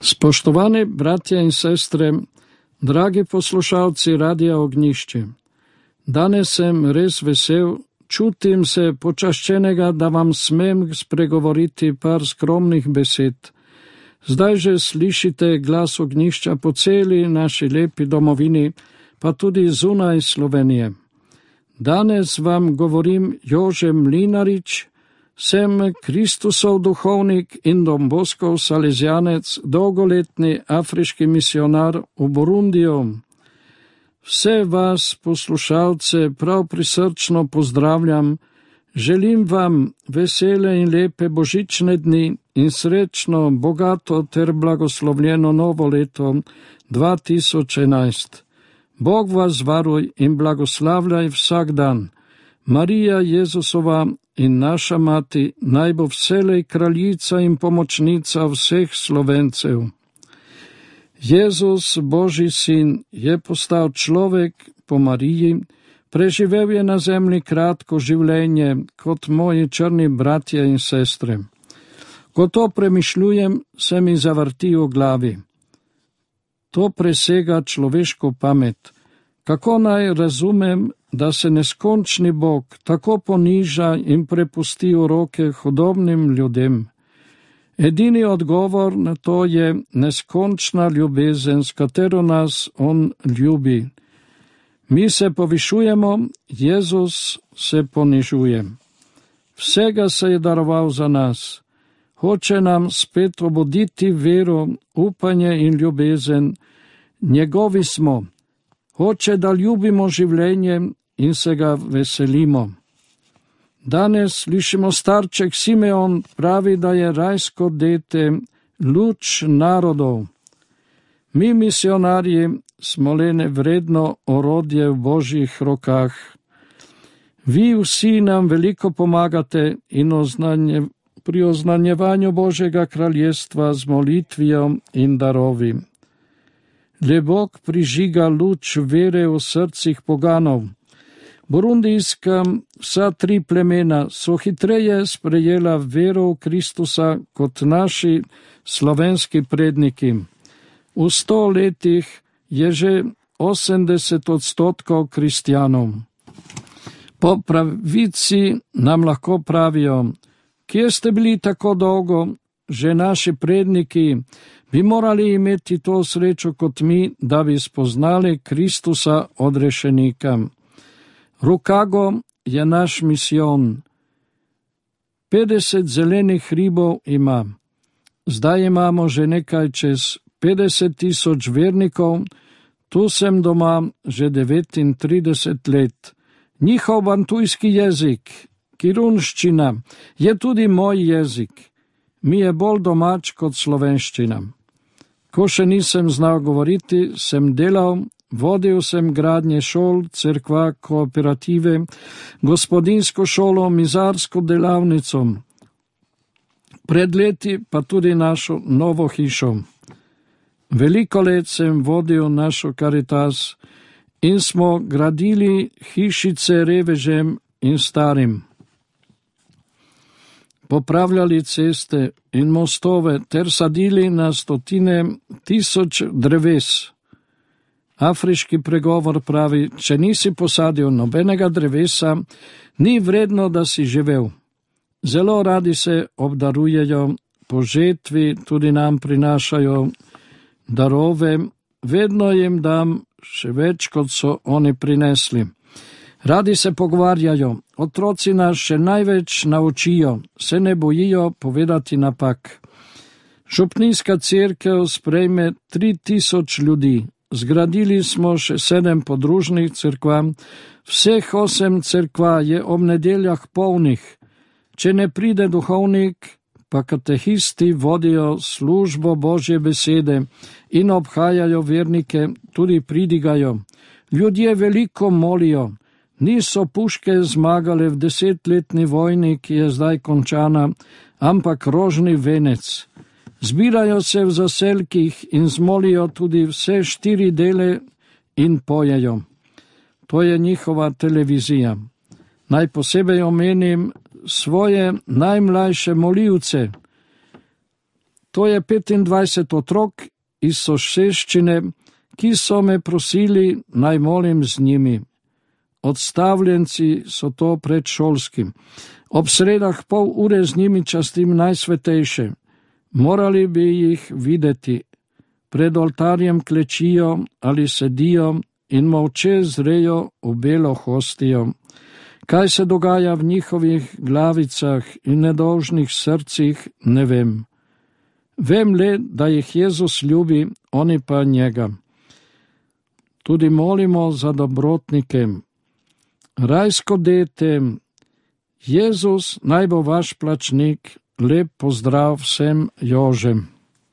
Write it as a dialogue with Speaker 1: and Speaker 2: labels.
Speaker 1: Spoštovani bratje in sestre, dragi poslušalci Radia Ognjišče, danes sem res vesel, čutim se počaščenega, da vam smem spregovoriti par skromnih besed. Zdaj že slišite glas ognjišča po celi naši lepi domovini, pa tudi zunaj Slovenije. Danes vam govorim Jože Mlinarič, sem Kristusov duhovnik in Don Boskov salezjanec, dolgoletni afriški misionar v Burundiju. Vse vas, poslušalce, prav prisrčno pozdravljam, želim vam vesele in lepe božične dni in srečno, bogato ter blagoslovljeno novo leto 2011. Bog vas varuj in blagoslavljaj vsak dan. Marija Jezusova in naša mati naj bo vselej kraljica in pomočnica vseh Slovencev. Jezus, Božji sin, je postal človek po Mariji, preživel je na zemlji kratko življenje kot moji črni bratje in sestre. Ko to premišljujem, se mi zavrti v glavi. To presega človeško pamet. Kako naj razumem, da se neskončni Bog tako poniža in prepusti v roke hudobnim ljudem? Edini odgovor na to je neskončna ljubezen, s katero nas on ljubi. Mi se povišujemo, Jezus se ponižuje. Vsega se je daroval za nas. Hoče nam spet obuditi vero, upanje in ljubezen. Njegovi smo. Hoče, da ljubimo življenje in se ga veselimo. Danes slišimo starček Simeon pravi, da je rajsko dete luč narodov. Mi, misionarji, smo le nevredno orodje v Božjih rokah. Vi vsi nam veliko pomagate in pri oznanjevanju Božjega kraljestva z molitvijo in darovi. Le Bog prižiga luč vere v srcih poganov. Burundijska vsa tri plemena so hitreje sprejela vero v Kristusa kot naši slovenski predniki. V 100 letih je že 80% kristjanov. Po pravici nam lahko pravijo, kje ste bili tako dolgo, že naši predniki bi morali imeti to srečo kot mi, da bi spoznali Kristusa odrešenika. Rukago je naš misijon. 50 zelenih hribov ima. Zdaj imamo že nekaj čez 50,000 vernikov, tu sem doma že 39 let. Njihov bantujski jezik, kirunščina, je tudi moj jezik. Mi je bolj domač kot slovenščina. Ko še nisem znal govoriti, sem delal, vodil sem gradnje šol, cerkva, kooperative, gospodinsko šolo, mizarsko delavnico. Pred leti pa tudi našo novo hišo. Veliko let sem vodil našo Karitas in smo gradili hišice revežem in starim. Popravljali ceste in mostove ter sadili na 100,000 dreves. Afriški pregovor pravi, če nisi posadil nobenega drevesa, ni vredno, da si živel. Zelo radi se obdarujejo, po žetvi tudi nam prinašajo darove, vedno jim dam še več, kot so oni prinesli. Radi se pogovarjajo, otroci nas še največ naučijo, se ne bojijo povedati napak. Župnijska cerkev sprejme 3000 ljudi, zgradili smo še 7 podružnih cerkva, vseh 8 cerkva je ob nedeljah polnih. Če ne pride duhovnik, pa katehisti vodijo službo Božje besede in obhajajo vernike, tudi pridigajo. Ljudje veliko molijo. Niso puške zmagale v 10-letni vojni, ki je zdaj končana, ampak rožni venec. Zbirajo se v zaselkih in zmolijo tudi vse 4 dele in pojejo. To je njihova televizija. Naj posebej omenim svoje najmlajše molivce. To je 25 otrok iz soseščine, ki so me prosili, naj molim z njimi. Odstavljenci so to predšolskim. Ob sredah pol ure z njimi častim najsvetejše. Morali bi jih videti. Pred oltarjem klečijo ali sedijo in molče zrejo v belo hostijo. Kaj se dogaja v njihovih glavicah in nedolžnih srcih, ne vem. Vem le, da jih Jezus ljubi, oni pa njega. Tudi molimo za dobrotnike. Rajsko dete, Jezus naj bo vaš plačnik, lep pozdrav vsem Jožem.